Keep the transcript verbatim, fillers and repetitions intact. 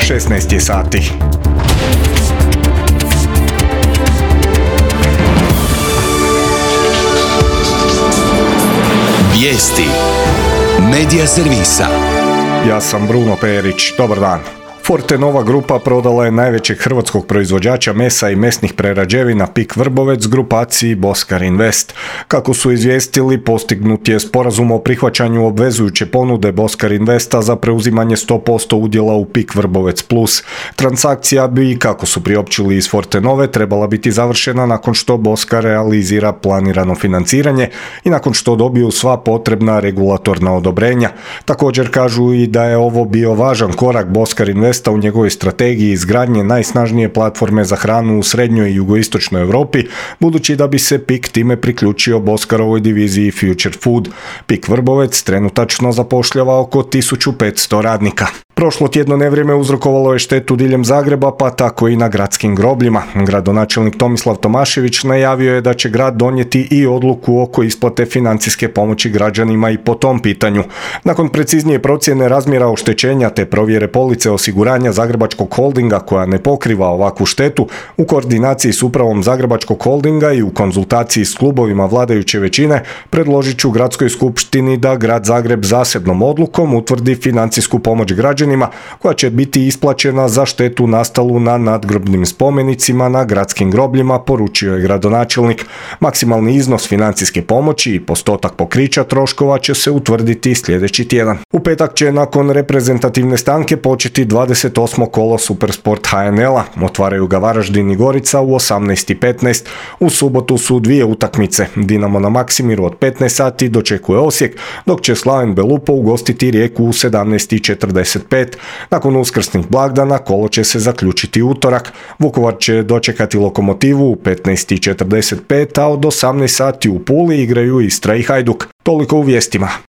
šesnaest je sati. Vijesti Medija servisa. Ja sam Bruno Perić, dobar dan. Fortenova grupa prodala je najvećeg hrvatskog proizvođača mesa i mesnih prerađevina Pik Vrbovec grupaciji Boskar Invest. Kako su izvijestili, postignut je sporazum o prihvaćanju obvezujuće ponude Boskar Investa za preuzimanje sto posto udjela u Pik Vrbovec Plus. Transakcija bi, kako su priopćili iz Fortenove, trebala biti završena nakon što Boskar realizira planirano financiranje i nakon što dobiju sva potrebna regulatorna odobrenja. Također kažu i da je ovo bio važan korak Boskar Invest u njegovoj strategiji izgradnje najsnažnije platforme za hranu u srednjoj i jugoistočnoj Europi, budući da bi se Pik time priključio Boskarovoj diviziji Future Food. Pik Vrbovec trenutačno zapošljava oko tisuću petsto radnika. Prošlo tjedno nevrijeme uzrokovalo je štetu diljem Zagreba, pa tako i na gradskim grobljima. Gradonačelnik Tomislav Tomašević najavio je da će grad donijeti i odluku oko isplate financijske pomoći građanima i po tom pitanju. Nakon preciznije procjene razmjera oštećenja te provjere police osiguranja Zagrebačkog holdinga koja ne pokriva ovakvu štetu, u koordinaciji s upravom Zagrebačkog holdinga i u konzultaciji s klubovima vladajuće većine, predložit ću gradskoj skupštini da grad Zagreb zasebnom odlukom utvrdi financijsku pomoć građanima koja će biti isplaćena za štetu nastalu na nadgrobnim spomenicima na gradskim grobljima, poručio je gradonačelnik. Maksimalni iznos financijske pomoći i postotak pokrića troškova će se utvrditi sljedeći tjedan. U petak će nakon reprezentativne stanke početi dvadeset osmo kolo Supersport H N L-a. Otvaraju ga Varaždin i Gorica u osamnaest i petnaest. U subotu su dvije utakmice. Dinamo na Maksimiru od petnaest sati dočekuje Osijek, dok će Slaven Belupo ugostiti Rijeku u sedamnaest i četrdeset pet. Nakon uskrsnih blagdana kolo će se zaključiti utorak. Vukovar će dočekati Lokomotivu u petnaest i četrdeset pet, a od osamnaest sati u Puli igraju Istra i Hajduk. Toliko u vijestima.